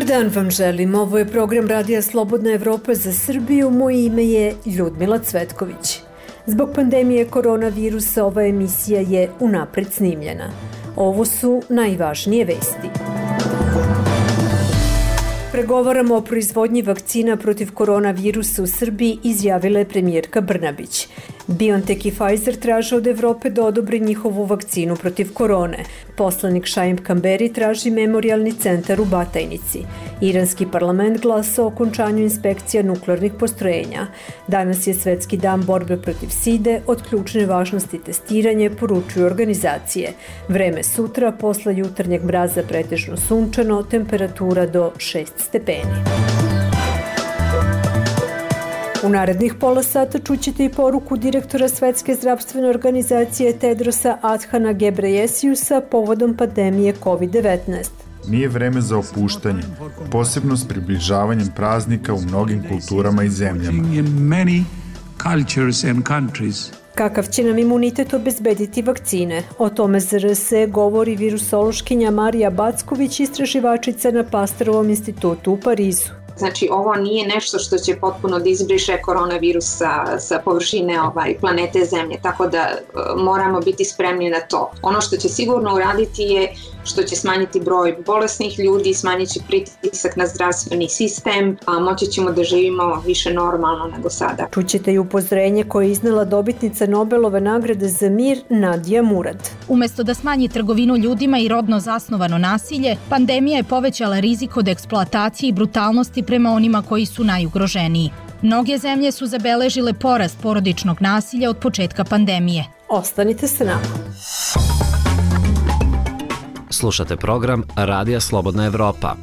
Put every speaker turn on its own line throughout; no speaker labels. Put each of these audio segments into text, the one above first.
dan vam želim. Ovo je program Radija Slobodna Evropa za Srbiju. Moje ime je Ljudmila Cvetković. Zbog pandemije koronavirusa ova emisija je unapred snimljena. Ovo su najvažnije vesti. Pregovaramo o proizvodnji vakcina protiv koronavirusa u Srbiji, izjavila je premijerka Brnabić. BioNTech i Pfizer traže od Evrope da odobre njihovu vakcinu protiv korone. Poslanik Šaim Kamberi traži memorijalni centar u Batajnici. Iranski parlament glasa o okončanju inspekcija nuklearnih postrojenja. Danas je Svetski dan borbe protiv side, od ključne važnosti testiranje, poručuju organizacije. Vreme sutra, posle jutarnjeg mraza pretežno sunčano, temperatura do 6 stepeni. U narednih pola sata čućete i poruku direktora Svetske zdravstvene organizacije Tedrosa Adhana Ghebreyesusa povodom pandemije COVID-19.
Nije vreme za opuštanje, posebno s približavanjem praznika u mnogim kulturama i zemljama.
Kakav će nam imunitet obezbediti vakcine? O tome ZRS govori virusološkinja Marija Backović, istraživačica na Pasterovom institutu u Parizu.
Znači, ovo nije nešto što će potpuno da izbriše koronavirus sa površine planete Zemlje, tako da moramo biti spremni na to. Ono što će sigurno uraditi je što će smanjiti broj bolesnih ljudi, smanjit će pritisak na zdravstveni sistem, a moći ćemo da živimo više normalno nego sada.
Čućete i upozorenje koje je iznela dobitnica Nobelove nagrade za mir Nadija Murad.
Umesto da smanji trgovinu ljudima i rodno zasnovano nasilje, pandemija je povećala rizik od eksploatacije i brutalnosti prema onima koji su najugroženiji. Mnoge zemlje su zabeležile porast porodičnog nasilja od početka pandemije.
Ostanite sa nama.
Slušate program Radija Slobodna Evropa.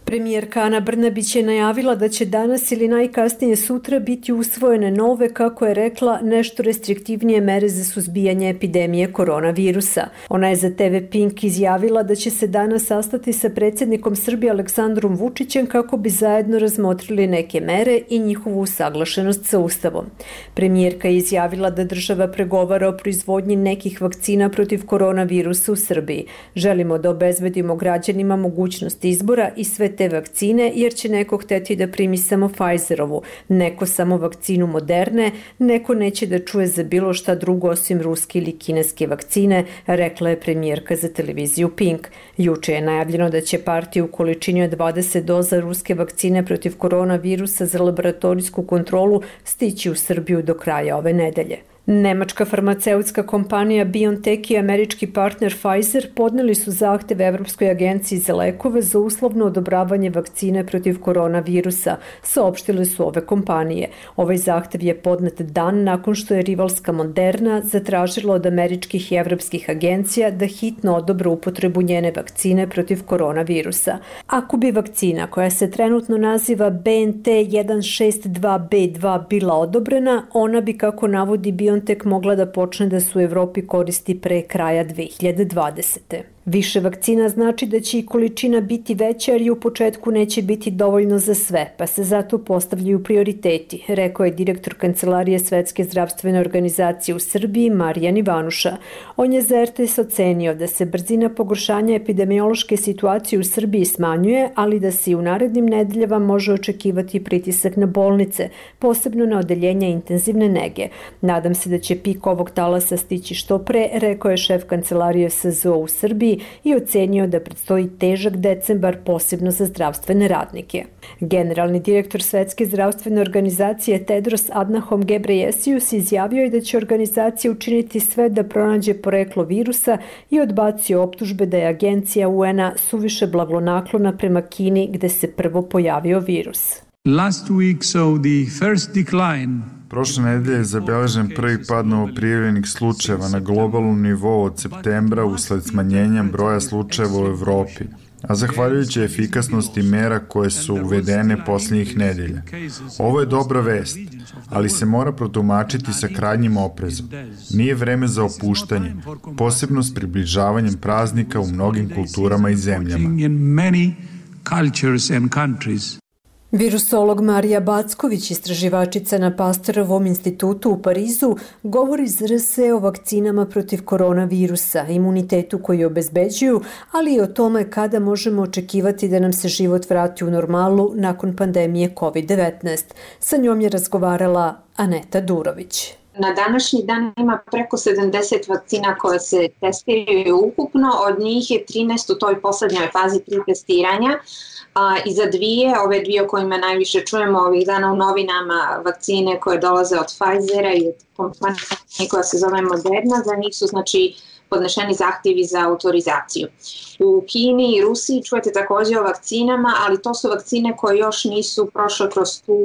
Premijerka Ana Brnabić je najavila da će danas ili najkasnije sutra biti usvojene nove, kako je rekla, nešto restriktivnije mere za suzbijanje epidemije koronavirusa. Ona je za TV Pink izjavila da će se danas sastati sa predsjednikom Srbije Aleksandrom Vučićem kako bi zajedno razmotrili neke mere i njihovu usaglašenost sa Ustavom. Premijerka je izjavila da država pregovara o proizvodnji nekih vakcina protiv koronavirusa u Srbiji. Želimo da obezbedimo građanima mogućnost izbora i sve te vakcine, jer će neko hteti da primi samo Pfizerovu, neko samo vakcinu Moderne, neko neće da čuje za bilo šta drugo osim ruske ili kineske vakcine, rekla je premijerka za televiziju Pink. Juče je najavljeno da će partija u količini od 20 doza ruske vakcine protiv koronavirusa za laboratorijsku kontrolu stići u Srbiju do kraja ove nedelje. Nemačka farmaceutska kompanija BioNTech i američki partner Pfizer podneli su zahtev Evropskoj agenciji za lekove za uslovno odobravanje vakcine protiv koronavirusa, saopštile su ove kompanije. Ovaj zahtev je podnet dan nakon što je rivalska Moderna zatražila od američkih i evropskih agencija da hitno odobre upotrebu njene vakcine protiv koronavirusa. Ako bi vakcina, koja se trenutno naziva BNT 162B2, bila odobrena, ona bi, kako navodi BioNTech, mogla da počne da se u Evropi koristi pre kraja 2020. Više vakcina znači da će i količina biti veća, jer i u početku neće biti dovoljno za sve, pa se zato postavljaju prioriteti, rekao je direktor Kancelarije Svetske zdravstvene organizacije u Srbiji Marijan Ivanuša. On je za RTS ocenio da se brzina pogoršanja epidemiološke situacije u Srbiji smanjuje, ali da se i u narednim nedeljama može očekivati pritisak na bolnice, posebno na odeljenja intenzivne nege. Nadam se da će pik ovog talasa stići što pre, rekao je šef Kancelarije SZO u Srbiji i ocenio da predstoji težak decembar, posebno za zdravstvene radnike. Generalni direktor Svetske zdravstvene organizacije Tedros Adhanom Ghebreyesus izjavio je da će organizacija učiniti sve da pronađe poreklo virusa i odbacio optužbe da je agencija UN-a suviše blagonaklona prema Kini, gde se prvo pojavio virus.
Last week saw the first decline.
Prošle nedelje je zabeležen prvi pad novoprijavljenih slučajeva na globalnom nivou od septembra usled smanjenja broja slučajeva u Evropi, a zahvaljujući efikasnosti mera koje su uvedene posljednjih nedelja. Ovo je dobra vest, ali se mora protumačiti sa krajnjim oprezom. Nije vreme za opuštanje, posebno s približavanjem praznika u mnogim kulturama i zemljama.
Virusolog Marija Backović, istraživačica na Pasterovom institutu u Parizu, govori iz RSE o vakcinama protiv koronavirusa, imunitetu koji obezbeđuju, ali i o tome kada možemo očekivati da nam se život vrati u normalu nakon pandemije COVID-19. Sa njom je razgovarala Aneta Durović.
Na današnji dan ima preko 70 vakcina koje se testiraju ukupno, od njih je 13 u toj poslednjoj fazi 3 testiranja. I za ove dvije o kojima najviše čujemo ovih dana u novinama, vakcine koje dolaze od Pfizera i od kompanije koja se zove Moderna, za njih su podnešeni zahtjevi za autorizaciju. U Kini i Rusiji čujete također o vakcinama, ali to su vakcine koje još nisu prošle kroz tu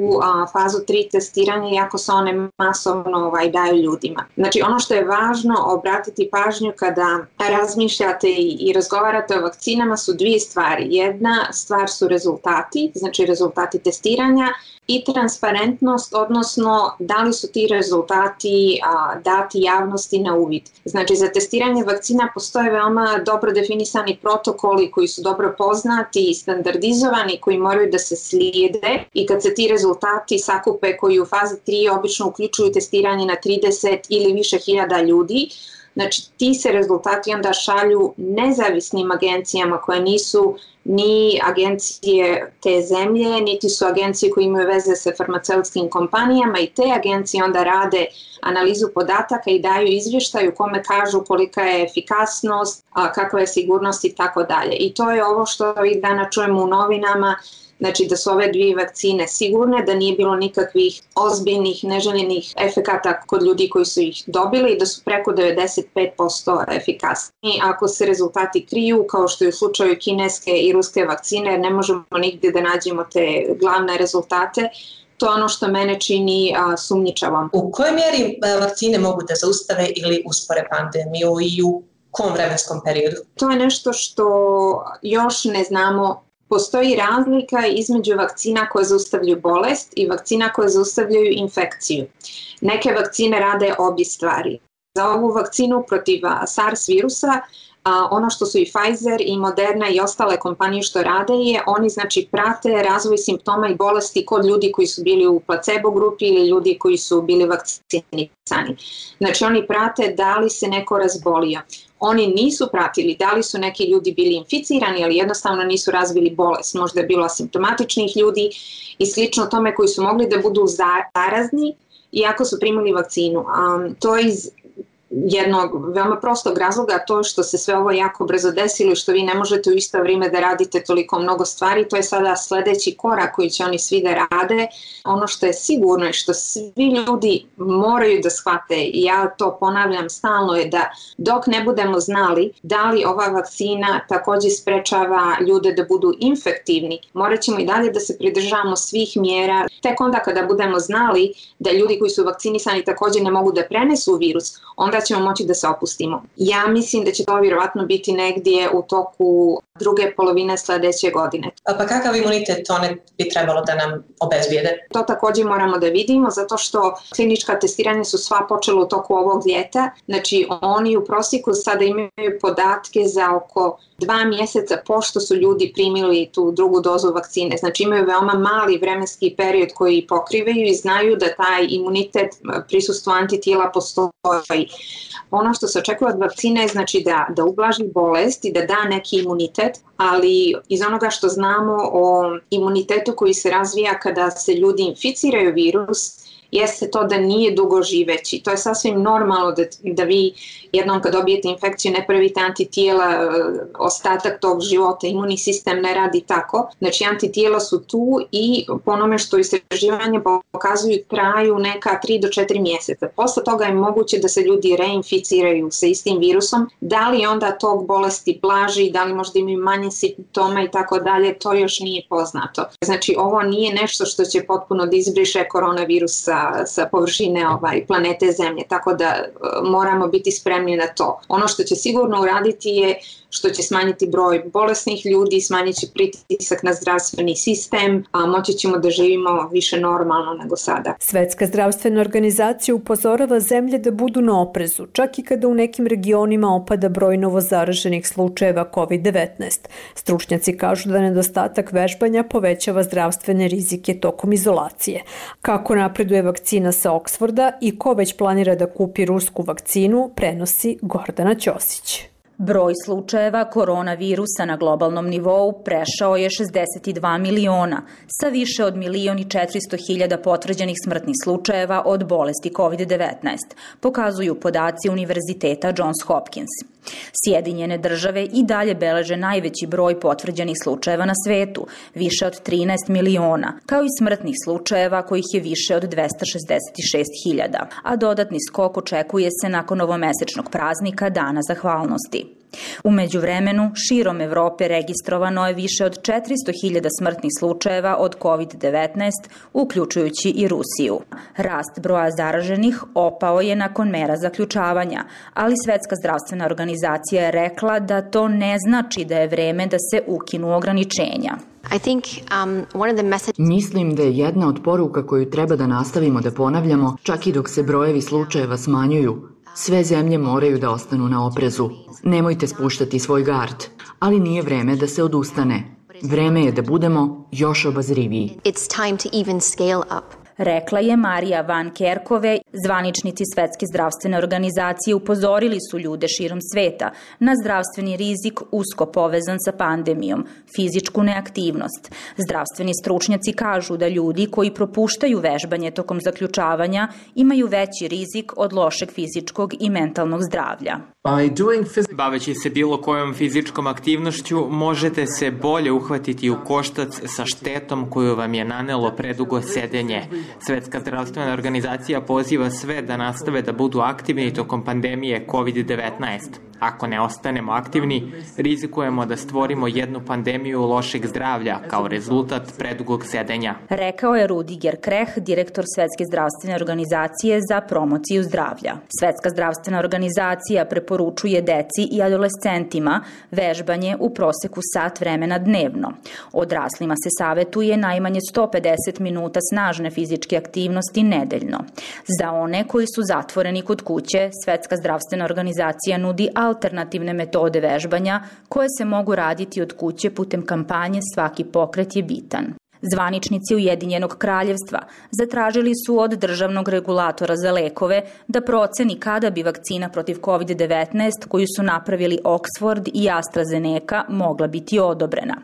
fazu 3 testiranja, iako se one masovno daju ljudima. Znači ono što je važno obratiti pažnju kada razmišljate i razgovarate o vakcinama su dvije stvari. Jedna stvar su rezultati, znači rezultati testiranja, i transparentnost, odnosno da li su ti rezultati dati javnosti na uvid. Znači za testiranje vakcina postoje veoma dobro definisani protokoli koji su dobro poznati i standardizovani, koji moraju da se slijede, i kad se ti rezultati sakupe koji u fazi 3 obično uključuju testiranje na 30 ili više hiljada ljudi, znači ti se rezultati onda šalju nezavisnim agencijama koje nisu ni agencije te zemlje, niti su agencije koje imaju veze sa farmaceutskim kompanijama, i te agencije onda rade analizu podataka i daju izvještaj u kome kažu kolika je efikasnost, kakva je sigurnost i tako dalje. I to je ovo što ovih dana čujemo u novinama, znači da su ove dvije vakcine sigurne, da nije bilo nikakvih ozbiljnih neželjenih efekata kod ljudi koji su ih dobili i da su preko 95% efikasni. Ako se rezultati kriju, kao što je u slučaju kineske i ruske vakcine, ne možemo nigdje da nađemo te glavne rezultate, to je ono što mene čini sumnjičavom.
U kojoj mjeri vakcine mogu da zaustave ili uspore pandemiju i u kom vremenskom periodu?
To je nešto što još ne znamo. Postoji razlika između vakcina koje zaustavljaju bolest i vakcina koje zaustavljaju infekciju. Neke vakcine rade obje stvari. Za ovu vakcinu protiv SARS virusa, ono što su i Pfizer i Moderna i ostale kompanije što rade je, oni prate razvoj simptoma i bolesti kod ljudi koji su bili u placebo grupi ili ljudi koji su bili vakcinisani. Znači oni prate da li se neko razbolio. Oni nisu pratili da li su neki ljudi bili inficirani, ali jednostavno nisu razvili bolest. Možda je bilo asimptomatičnih ljudi i slično tome koji su mogli da budu zarazni iako su primili vakcinu. To je iz jednog veoma prostog razloga, to što se sve ovo jako brzo desilo i što vi ne možete u isto vrijeme da radite toliko mnogo stvari, to je sada sljedeći korak koji će oni svi da rade. Ono što je sigurno i što svi ljudi moraju da shvate, i ja to ponavljam stalno, je da dok ne budemo znali da li ova vakcina također sprečava ljude da budu infektivni, morat ćemo i dalje da se pridržavamo svih mjera. Tek onda kada budemo znali da ljudi koji su vakcinisani također ne mogu da prenesu virus, onda ćemo moći da se opustimo. Ja mislim da će to vjerovatno biti negdje u toku druge polovine sljedeće godine.
Pa kakav imunitet one bi trebalo da nam obezbijede?
To također moramo da vidimo, zato što klinička testiranja su sva počela u toku ovog ljeta. Znači oni u prosjeku sada imaju podatke za oko 2 mjeseca pošto su ljudi primili tu drugu dozu vakcine. Znači imaju veoma mali vremenski period koji pokrivaju i znaju da taj imunitet, prisustvo antitijela postoji. Ono što se očekuje od vakcine je da ublaži bolest i da da neki imunitet, ali iz onoga što znamo o imunitetu koji se razvija kada se ljudi inficiraju virus, jeste to da nije dugo živeći. To je sasvim normalno da vi jednom kad dobijete infekciju ne pravite antitijela ostatak tog života, imunni sistem ne radi tako. Znači antitijela su tu i po onome što istraživanje pokazuju traju neka 3 do 4 mjeseca. Posle toga je moguće da se ljudi reinficiraju sa istim virusom. Da li onda tog bolesti blaži, da li možda imaju manje simptoma i tako dalje, to još nije poznato. Znači ovo nije nešto što će potpuno da izbriše koronavirus sa površine planete Zemlje, tako da moramo biti spremni na to. Ono što će sigurno uraditi je što će smanjiti broj bolesnih ljudi, smanjit će pritisak na zdravstveni sistem, a moći ćemo da živimo više normalno nego sada.
Svetska zdravstvena organizacija upozorava zemlje da budu na oprezu, čak i kada u nekim regionima opada broj novozaraženih slučajeva COVID-19. Stručnjaci kažu da nedostatak vežbanja povećava zdravstvene rizike tokom izolacije. Kako napreduje vakcina sa Oksforda i ko već planira da kupi rusku vakcinu, prenosi Gordana Ćosić.
Broj slučajeva koronavirusa na globalnom nivou prešao je 62 miliona, sa više od 1.400.000 potvrđenih smrtnih slučajeva od bolesti COVID-19, pokazuju podaci Univerziteta Johns Hopkins. Sjedinjene države i dalje beleže najveći broj potvrđenih slučajeva na svetu, više od 13 miliona, kao i smrtnih slučajeva kojih je više od 266.000, a dodatni skok očekuje se nakon novomesečnog praznika Dana zahvalnosti. U međuvremenu, širom Evrope registrovano je više od 400.000 smrtnih slučajeva od COVID-19, uključujući i Rusiju. Rast broja zaraženih opao je nakon mera zaključavanja, ali Svetska zdravstvena organizacija je rekla da to ne znači da je vreme da se ukinu ograničenja.
Mislim da je jedna od poruka koju treba da nastavimo da ponavljamo, čak i dok se brojevi slučajeva smanjuju. Sve zemlje moraju da ostanu na oprezu. Nemojte spuštati svoj gard, ali nije vreme da se odustane. Vreme je da budemo još obazriviji.
Rekla je Marija Van Kerkove. Zvaničnici Svetske zdravstvene organizacije upozorili su ljude širom sveta na zdravstveni rizik usko povezan sa pandemijom, fizičku neaktivnost. Zdravstveni stručnjaci kažu da ljudi koji propuštaju vežbanje tokom zaključavanja imaju veći rizik od lošeg fizičkog i mentalnog zdravlja.
Baveći se bilo kojom fizičkom aktivnošću, možete se bolje uhvatiti u koštac sa štetom koju vam je nanelo predugo sedenje. Svetska zdravstvena organizacija poziva sve da nastave da budu aktivni tokom pandemije COVID-19. Ako ne ostanemo aktivni, rizikujemo da stvorimo jednu pandemiju lošeg zdravlja kao rezultat predugog sedenja.
Rekao je Rudiger Kreh, direktor Svetske zdravstvene organizacije za promociju zdravlja. Svetska zdravstvena organizacija preporučuje deci i adolescentima vežbanje u proseku sat vremena dnevno. Odraslima se savetuje najmanje 150 minuta snažne fizičke aktivnosti nedeljno. Za one koji su zatvoreni kod kuće, Svetska zdravstvena organizacija nudi alternativne metode vežbanja koje se mogu raditi od kuće putem kampanje Svaki pokret je bitan. Zvaničnici Ujedinjenog kraljevstva zatražili su od državnog regulatora za lekove da proceni kada bi vakcina protiv COVID-19 koju su napravili Oxford i AstraZeneca mogla biti odobrena.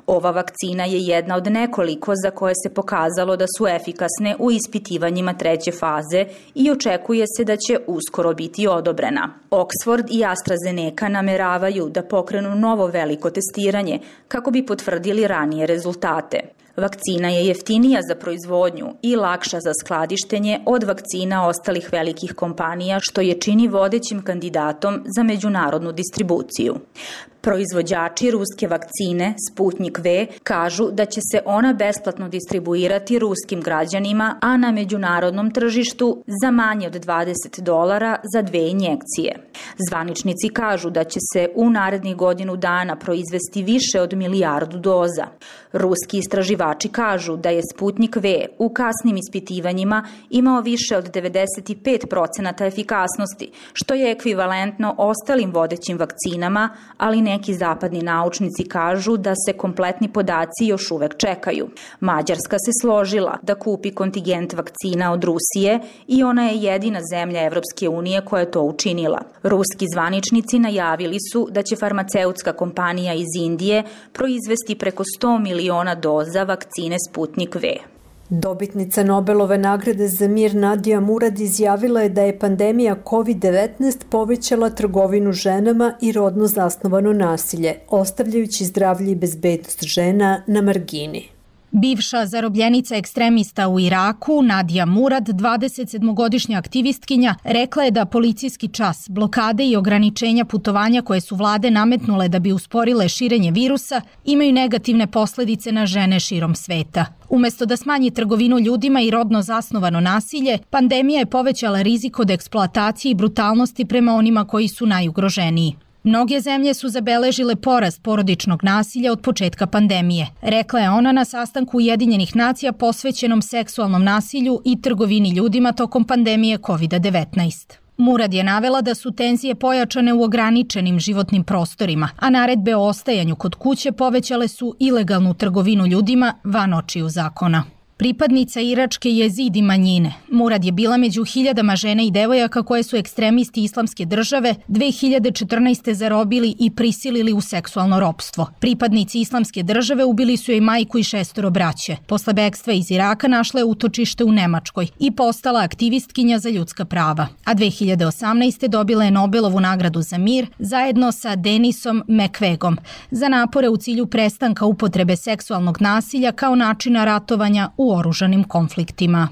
Ova vakcina je jedna od nekoliko za koje se pokazalo da su efikasne u ispitivanjima 3. faze i očekuje se da će uskoro biti odobrena. Oxford i AstraZeneca nameravaju da pokrenu novo veliko testiranje kako bi potvrdili ranije rezultate. Vakcina je jeftinija za proizvodnju i lakša za skladištenje od vakcina ostalih velikih kompanija, što je čini vodećim kandidatom za međunarodnu distribuciju. Proizvođači ruske vakcine Sputnik V kažu da će se ona besplatno distribuirati ruskim građanima, a na međunarodnom tržištu za manje od $20 za 2 injekcije. Zvaničnici kažu da će se u narednih godinu dana proizvesti više od 1 milijardu doza. Ruski istraživači kažu da je Sputnik V u kasnim ispitivanjima imao više od 95% efikasnosti, što je ekvivalentno ostalim vodećim vakcinama, ali neki zapadni naučnici kažu da se kompletni podaci još uvek čekaju. Mađarska se složila da kupi kontingent vakcina od Rusije i ona je jedina zemlja Evropske unije koja je to učinila. Ruski zvaničnici najavili su da će farmaceutska kompanija iz Indije proizvesti preko 100 miliona doza vakcine Sputnik V.
Dobitnica Nobelove nagrade za mir Nadija Murad izjavila je da je pandemija COVID-19 povećala trgovinu ženama i rodno zasnovano nasilje, ostavljajući zdravlje i bezbednost žena na margini.
Bivša zarobljenica ekstremista u Iraku, Nadija Murad, 27-godišnja aktivistkinja, rekla je da policijski čas, blokade i ograničenja putovanja koje su vlade nametnule da bi usporile širenje virusa imaju negativne posledice na žene širom sveta. Umesto da smanji trgovinu ljudima i rodno zasnovano nasilje, pandemija je povećala rizik od eksploatacije i brutalnosti prema onima koji su najugroženiji. Mnoge zemlje su zabeležile porast porodičnog nasilja od početka pandemije, rekla je ona na sastanku Ujedinjenih nacija posvećenom seksualnom nasilju i trgovini ljudima tokom pandemije COVID-19. Murad je navela da su tenzije pojačane u ograničenim životnim prostorima, a naredbe o ostajanju kod kuće povećale su ilegalnu trgovinu ljudima van očiju zakona. Pripadnica iračke jezidi manjine, Murad je bila među hiljadama žena i devojaka koje su ekstremisti Islamske države 2014. zarobili i prisilili u seksualno ropstvo. Pripadnici Islamske države ubili su joj majku i 6 braće. Posle bekstva iz Iraka našla je utočište u Nemačkoj i postala aktivistkinja za ljudska prava. A 2018. dobila je Nobelovu nagradu za mir zajedno sa Denisom Mukwegom za napore u cilju prestanka upotrebe seksualnog nasilja kao načina ratovanja u oružanim konfliktima.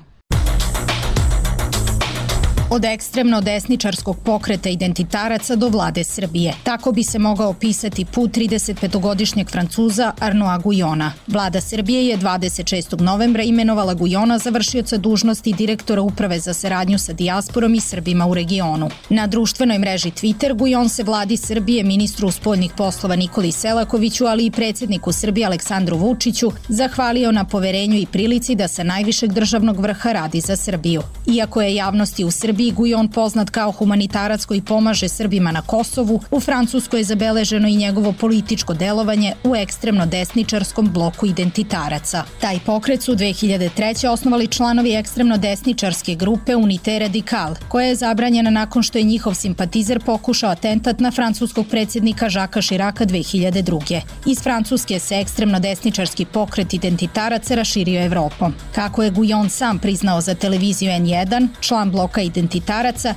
Od ekstremno desničarskog pokreta identitaraca do vlade Srbije. Tako bi se mogao opisati put 35-godišnjeg Francuza Arnaud Guyona. Vlada Srbije je 26. novembra imenovala Guyona za vršioca dužnosti direktora Uprave za saradnju sa dijasporom i Srbima u regionu. Na društvenoj mreži Twitter Guyon se vladi Srbije, ministru spoljnih poslova Nikoli Selakoviću, ali i predsjedniku Srbije Aleksandru Vučiću, zahvalio na poverenju i prilici da sa najvišeg državnog vrha radi za Srbiju. Iako je javnosti u Srbiji Guyon poznat kao humanitarac koji pomaže Srbima na Kosovu, u Francuskoj je zabeleženo i njegovo političko delovanje u ekstremno desničarskom bloku identitaraca. Taj pokret su 2003. osnovali članovi ekstremno desničarske grupe Unité Radicale, koja je zabranjena nakon što je njihov simpatizer pokušao atentat na francuskog predsjednika Žaka Širaka 2002. Iz Francuske se ekstremno desničarski pokret identitaraca raširio Evropom. Kako je Guyon sam priznao za televiziju N1, član bloka identitaraca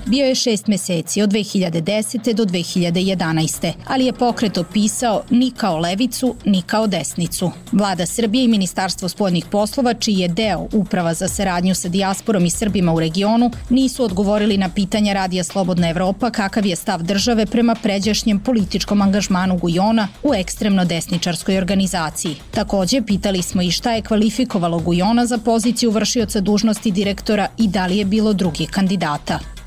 bio je 6 meseci od 2010. do 2011. Ali je pokret opisao ni kao levicu, ni kao desnicu. Vlada Srbije i Ministarstvo spoljnih poslova, čiji je deo Uprava za saradnju sa dijasporom i Srbima u regionu, nisu odgovorili na pitanja Radija Slobodna Evropa kakav je stav države prema pređašnjem političkom angažmanu Guyona u ekstremno desničarskoj organizaciji. Takođe, pitali smo i šta je kvalifikovalo Guyona za poziciju vršioca dužnosti direktora i da li je bilo drugih kandidata.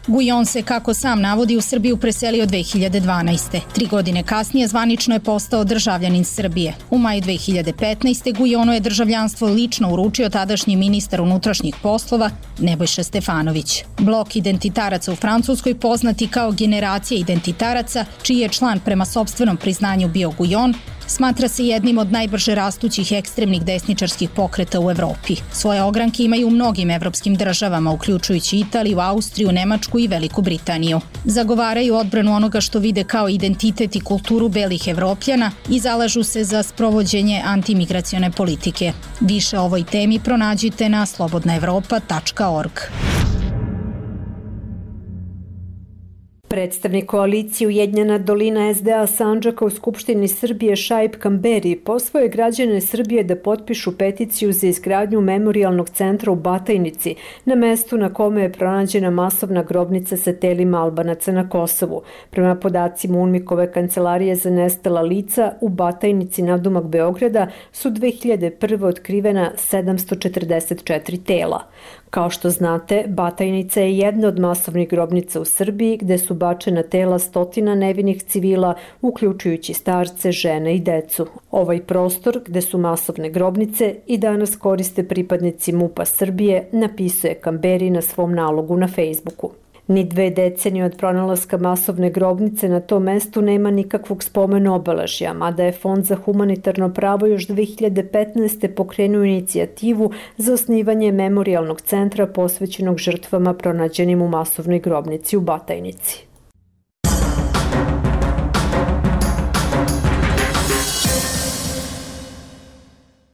Guyon se, kako sam navodi, u Srbiju preselio 2012. 3 godine kasnije zvanično je postao državljanin Srbije. U maju 2015. Guyonu je državljanstvo lično uručio tadašnji ministar unutrašnjih poslova Nebojša Stefanović. Blok identitaraca u Francuskoj, poznati kao generacija identitaraca, čiji je član prema sopstvenom priznanju bio Guyon, smatra se jednim od najbrže rastućih ekstremnih desničarskih pokreta u Evropi. Svoje ogranke imaju u mnogim evropskim državama, uključujući Italiju, Austriju, Nemačku i Veliku Britaniju. Zagovaraju odbranu onoga što vide kao identitet i kulturu belih Evropljana i zalažu se za sprovođenje antimigracione politike. Više o ovoj temi pronađite na slobodnaevropa.org.
Predstavnik koalicije Ujedinjena dolina SDA Sandžaka u Skupštini Srbije Šaip Kamberi pozvao je građane Srbije da potpišu peticiju za izgradnju memorijalnog centra u Batajnici, na mestu na kome je pronađena masovna grobnica sa telima Albanaca na Kosovu. Prema podacima UNMIK-ove kancelarije za nestala lica, u Batajnici nadomak Beograda su 2001. otkrivena 744 tela. Kao što znate, Batajnica je jedna od masovnih grobnica u Srbiji gde su bačena tela stotina nevinih civila, uključujući starce, žene i decu. Ovaj prostor, gde su masovne grobnice, i danas koriste pripadnici MUP-a Srbije, napisuje Kamberi na svom nalogu na Facebooku. Ni 2 decenije od pronalaska masovne grobnice na tom mestu nema nikakvog spomen obeležja, mada je Fond za humanitarno pravo još 2015. pokrenuo inicijativu za osnivanje memorijalnog centra posvećenog žrtvama pronađenim u masovnoj grobnici u Batajnici.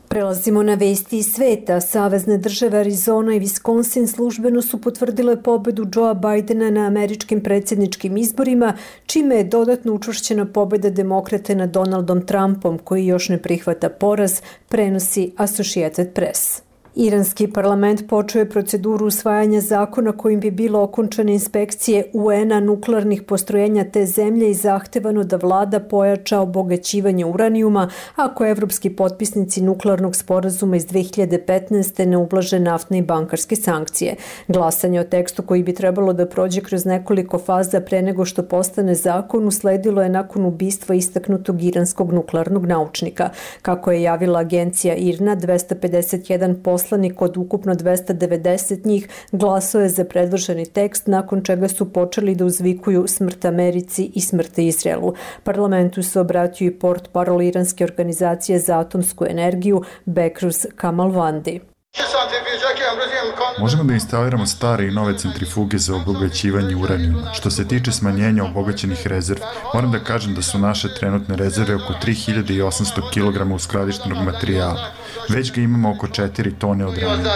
Prelazimo na vesti iz sveta. Savezne države Arizona i Wisconsin službeno su potvrdile pobedu Joea Bidena na američkim predsjedničkim izborima, čime je dodatno učvršćena pobeda demokrate nad Donaldom Trumpom, koji još ne prihvata poraz, prenosi Associated Press. Iranski parlament počeo je proceduru usvajanja zakona kojim bi bilo okončane inspekcije UN-a nuklearnih postrojenja te zemlje i zahtevano da vlada pojača obogaćivanje uranijuma ako evropski potpisnici nuklearnog sporazuma iz 2015. ne ublaže naftne i bankarske sankcije. Glasanje o tekstu koji bi trebalo da prođe kroz nekoliko faza pre nego što postane zakon usledilo je nakon ubistva istaknutog iranskog nuklearnog naučnika. Kako je javila agencija IRNA, 251 poslanik od ukupno 290 njih glasao je za predloženi tekst, nakon čega su počeli da uzvikuju smrt Americi i smrt Izraelu. Parlamentu se obratio i portparol iranske organizacije za atomsku energiju Bekruz Kamalvandi.
Možemo da instaliramo stare i nove centrifuge za obogaćivanje uranijuma. Što se tiče smanjenja obogaćenih rezervi, moram da kažem da su naše trenutne rezerve oko 3800 kg uskladištenog materijala. Već ga imamo oko 4 tone od ranije.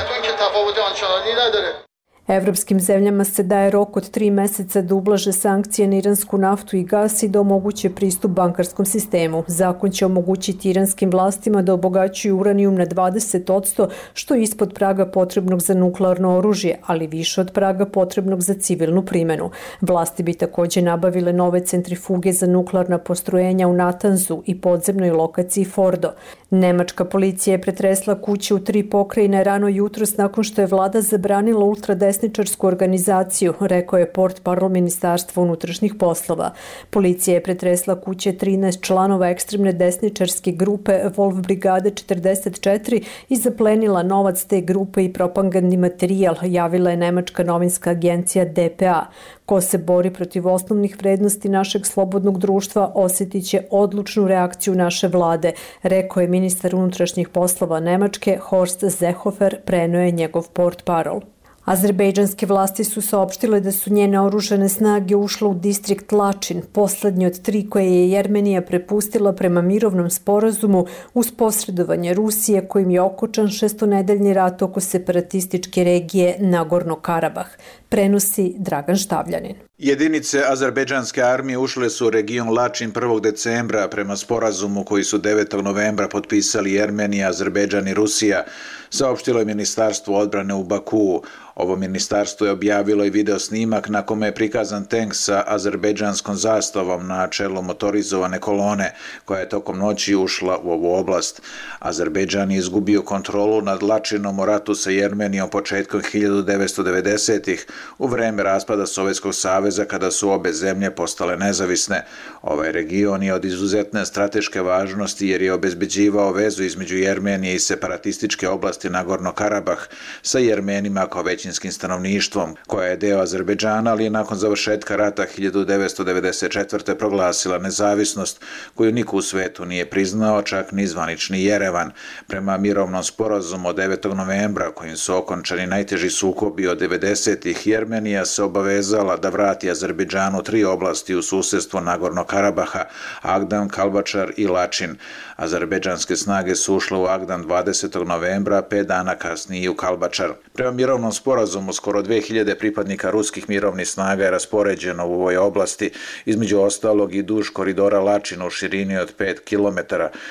Evropskim zemljama se daje rok od 3 meseca da ublaže sankcije na iransku naftu i gas i da omoguće pristup bankarskom sistemu. Zakon će omogućiti iranskim vlastima da obogaćuju uranijum na 20%, što je ispod praga potrebnog za nuklearno oružje, ali više od praga potrebnog za civilnu primenu. Vlasti bi takođe nabavile nove centrifuge za nuklearna postrojenja u Natanzu i podzemnoj lokaciji Fordo. Nemačka policija je pretresla kuće u 3 pokrajine rano jutros nakon što je vlada zabranila ultradesničarsku organizaciju, rekao je portparol Ministarstva unutrašnjih poslova. Policija je pretresla kuće 13 članova ekstremne desničarske grupe Wolf Brigade 44 i zaplenila novac te grupe i propagandni materijal, javila je nemačka novinska agencija DPA. Ko se bori protiv osnovnih vrednosti našeg slobodnog društva osjetit će odlučnu reakciju naše vlade, rekao je ministar unutrašnjih poslova Nemačke Horst Seehofer, preneo je njegov portparol. Azerbejdžanske vlasti su saopštile da su njene oružane snage ušle u distrikt Lačin, poslednji od 3 koje je Jermenija prepustila prema mirovnom sporazumu uz posredovanje Rusije kojim je okončan 6-nedeljni rat oko separatističke regije Nagorno Karabah. Prenosi Dragan Štavljanin.
Jedinice azerbejdžanske armije ušle su u region Lačin 1. decembra prema sporazumu koji su 9. novembra potpisali Jermenija, Azerbejdžan i Rusija, saopštilo je Ministarstvo odbrane u Bakuu. Ovo ministarstvo je objavilo i video snimak na kome je prikazan tank sa azerbejdžanskom zastavom na čelu motorizovane kolone koja je tokom noći ušla u ovu oblast. Azerbejdžan je izgubio kontrolu nad Lačinom u ratu sa Jermenijom početkom 1990-ih u vreme raspada Sovjetskog saveza kada su obe zemlje postale nezavisne. Ovaj region je od izuzetne strateške važnosti jer je obezbeđivao vezu između Jermenije i separatističke oblasti Nagorno Karabah sa Jermenima kao većinskim stanovništvom, koja je deo Azerbejdžana, ali je nakon završetka rata 1994. proglasila nezavisnost koju niko u svetu nije priznao, čak ni zvanični Jerevan. Prema mirovnom sporazumu od 9. novembra kojim su okončani najteži sukobi od 90-ih, Jermenija se obavezala da vrati Azerbejdžanu 3 oblasti u susedstvu Nagorno Karabaha, Agdan, Kalbačar i Lačin. Azerbejdžanske snage su ušle u Agdan 20. novembra, 5 dana kasnije u Kalbačar. Prema mirovnom sporazumu skoro 2000 pripadnika ruskih mirovnih snaga je raspoređeno u ovoj oblasti, između ostalog i duž koridora Lačin u širini od 5 km,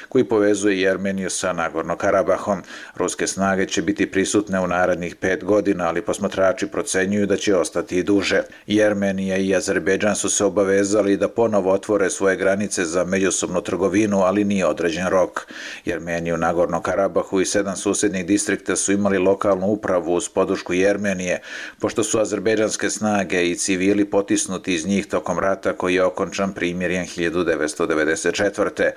koji povezuje Jermeniju sa Nagorno Karabahom. Ruske snage će biti prisutne u narednih 5 godina, ali posmatrači procenjuju da će ostati i duže. Jermenija i Azerbejdžan su se obavezali da ponovo otvore svoje granice za međusobnu trgovinu, ali nije određen rok. Jermeniju, Nagorno Karabahu i 7 susednih distrikta su imali lokalnu upravu uz podršku Jermenije, pošto su azerbejdžanske snage i civili potisnuti iz njih tokom rata koji je okončan primirjem 1994.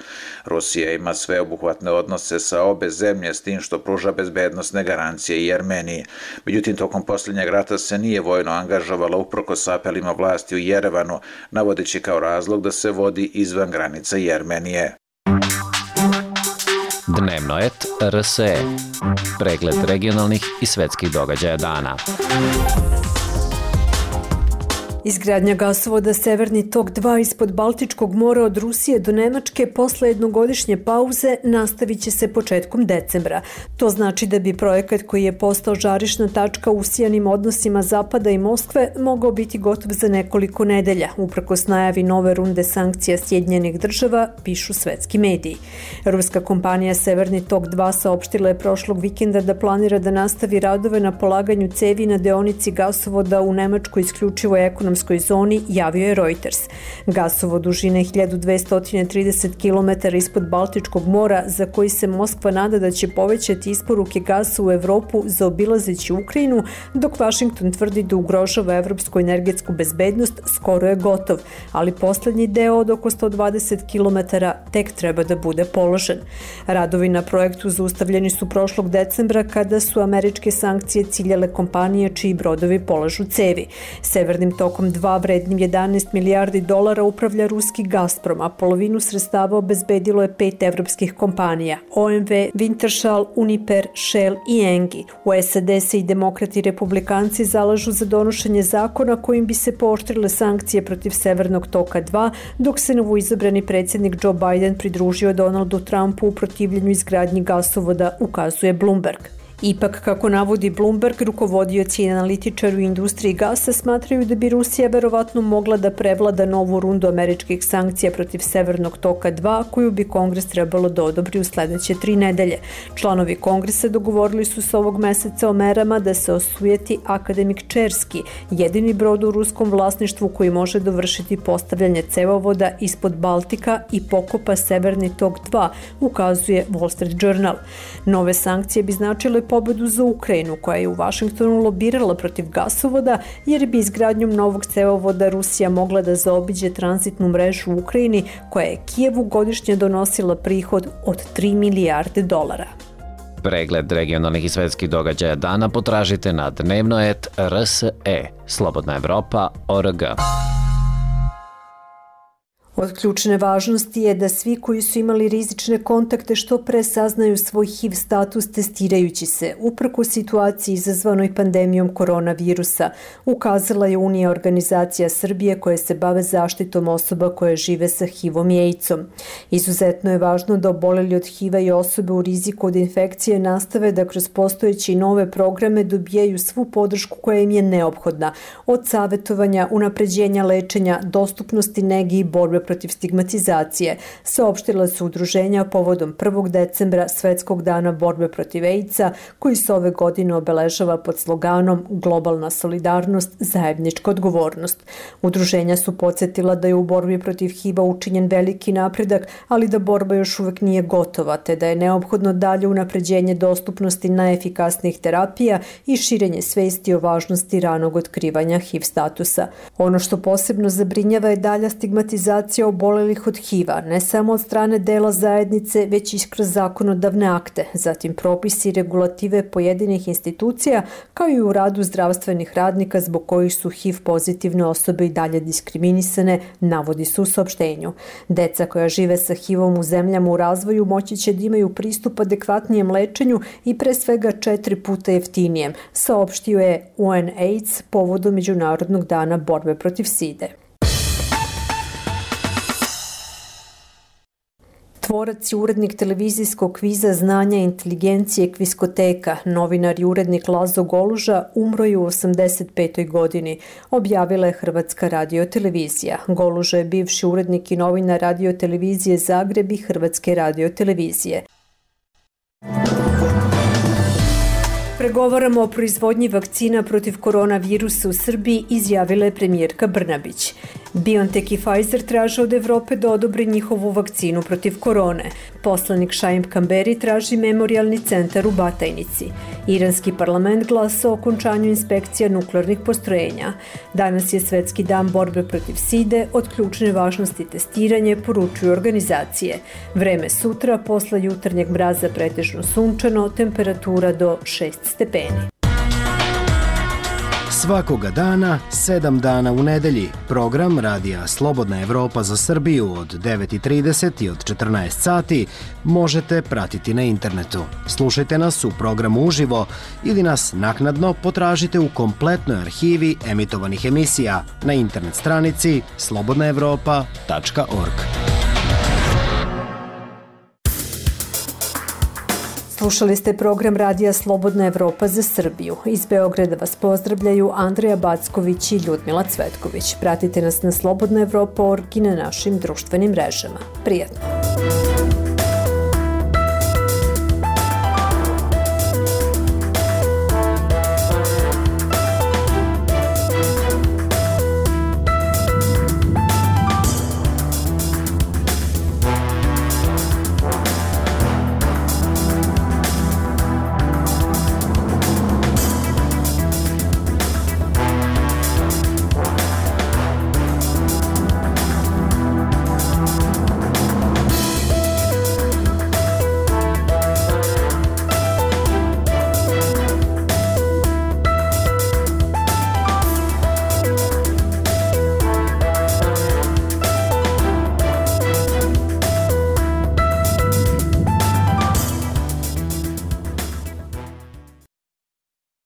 Rusija ima sveobuhvatne odnose sa obe zemlje s tim što pruža bezbednosne garancije i Jermeniji. Međutim, tokom posljednjeg rata se nije vojno angažovala uprkos apelima vlasti u Jerevanu, navodeći kao razlog da se vodi izvan granica Jermenije.
Dnevnoet RSE. Pregled regionalnih i svetskih događaja dana.
Izgradnja gasovoda Severni tok 2 ispod Baltičkog mora od Rusije do Nemačke posle jednogodišnje pauze nastavit će se početkom decembra. To znači da bi projekat koji je postao žarišna tačka u usijanim odnosima Zapada i Moskve mogao biti gotov za nekoliko nedelja, uprkos najavi nove runde sankcija Sjedinjenih država, pišu svetski mediji. Ruska kompanija Severni tok 2 saopštila je prošlog vikenda da planira da nastavi radove na polaganju cevi na deonici gasovoda u Nemačkoj isključivoj ekonomskoj zoni, javio je Reuters. Gasovod dužine 1230 km ispod Baltičkog mora, za koji se Moskva nada da će povećati isporuke gasa u Evropu zaobilazeći Ukrajinu, dok Vašington tvrdi da ugrožava evropsku energetsku bezbednost, skoro je gotov, ali poslednji deo od oko 120 km tek treba da bude položen. Radovi na projektu zaustavljeni su prošlog decembra kada su američke sankcije ciljale kompanije čiji brodovi polažu cevi. Severnim tokom 2 vrednim 11 milijardi dolara upravlja ruski Gazprom, a polovinu sredstava obezbedilo je 5 evropskih kompanija: OMV, Wintershall, Uniper, Shell i Engie. U SAD se i demokrati i republikanci zalažu za donošenje zakona kojim bi se pooštrile sankcije protiv Severnog toka 2, dok se novoizabrani predsjednik Joe Biden pridružio Donaldu Trumpu u protivljenju izgradnji gasovoda, ukazuje Bloomberg. Ipak, kako navodi Bloomberg, rukovodioci i analitičari u industriji gasa smatraju da bi Rusija verovatno mogla da prevlada novu rundu američkih sankcija protiv Severnog toka 2, koju bi Kongres trebalo da odobri u sledeće 3 nedelje. Članovi Kongresa dogovorili su se ovog meseca o merama da se osujeti Akademik Čerski, jedini brod u ruskom vlasništvu koji može dovršiti postavljanje cevovoda ispod Baltika i pokopa Severni tok 2, ukazuje Wall Street Journal. Nove sankcije bi značile pobedu za Ukrajinu, koja je u Vašingtonu lobirala protiv gasovoda, jer bi izgradnjom novog cevovoda Rusija mogla da zaobiđe tranzitnu mrežu u Ukrajini, koja je Kijevu godišnje donosila prihod od 3 milijarde dolara.
Pregled regionalnih i svetskih događaja dana potražite na dnevnoet.rse, slobodnaevropa.org.
Od ključne važnosti je da svi koji su imali rizične kontakte što pre saznaju svoj HIV status testirajući se, uprkos situaciji izazvanoj pandemijom koronavirusa, ukazala je Unija organizacija Srbije koje se bave zaštitom osoba koje žive sa HIV-om i AIDS-om. Izuzetno je važno da oboleli od HIV-a i osobe u riziku od infekcije nastave da kroz postojeće i nove programe dobijaju svu podršku koja im je neophodna, od savetovanja, unapređenja lečenja, dostupnosti nege i borbe protiv stigmatizacije, saopštila su udruženja povodom 1. decembra Svetskog dana borbe protiv AIDS-a, koji se ove godine obeležava pod sloganom Globalna solidarnost, zajednička odgovornost. Udruženja su podsjetila da je u borbi protiv HIV-a učinjen veliki napredak, ali da borba još uvek nije gotova, te da je neophodno dalje unapređenje dostupnosti najefikasnijih terapija i širenje svesti o važnosti ranog otkrivanja HIV statusa. Ono što posebno zabrinjava je dalja stigmatizacija obolelih od HIV-a, ne samo od strane dela zajednice, već i kroz zakonodavne akte, zatim propisi i regulative pojedinih institucija, kao i u radu zdravstvenih radnika zbog kojih su HIV pozitivne osobe i dalje diskriminisane, navodi se u saopštenju. Deca koja žive sa HIV-om u zemljama u razvoju moći će da imaju pristup adekvatnijem lečenju i pre svega 4 puta jeftinijem, saopštio je UNAIDS povodom Međunarodnog dana borbe protiv side. Tvorac i urednik televizijskog kviza Znanja i inteligencije Kviskoteka, novinar i urednik Lazo Goluža, umro je u 85. godini, objavila je Hrvatska radiotelevizija. Goluža je bivši urednik i novinar radiotelevizije Zagreb i Hrvatske radiotelevizije. Pregovaramo o proizvodnji vakcina protiv koronavirusa u Srbiji, izjavila je premijerka Brnabić. BioNTech i Pfizer traže od Evrope da odobri njihovu vakcinu protiv korone. Poslanik Šaim Kamberi traži memorialni centar u Batajnici. Iranski parlament glasa o okončanju inspekcija nuklearnih postrojenja. Danas je Svetski dan borbe protiv side, od ključne važnosti testiranje, poručuju organizacije. Vreme sutra, posle jutarnjeg mraza pretežno sunčano, temperatura do 6 stepeni.
Svakoga dana, 7 dana u nedelji, program Radija Slobodna Evropa za Srbiju od 9:30 i od 14 sati možete pratiti na internetu. Slušajte nas u programu uživo ili nas naknadno potražite u kompletnoj arhivi emitovanih emisija na internet stranici slobodnaevropa.org.
Slušali ste program Radija Slobodna Evropa za Srbiju. Iz Beograda vas pozdravljaju Andreja Backović i Ljudmila Cvetković. Pratite nas na slobodnaevropa.org i na našim društvenim mrežama. Prijatno!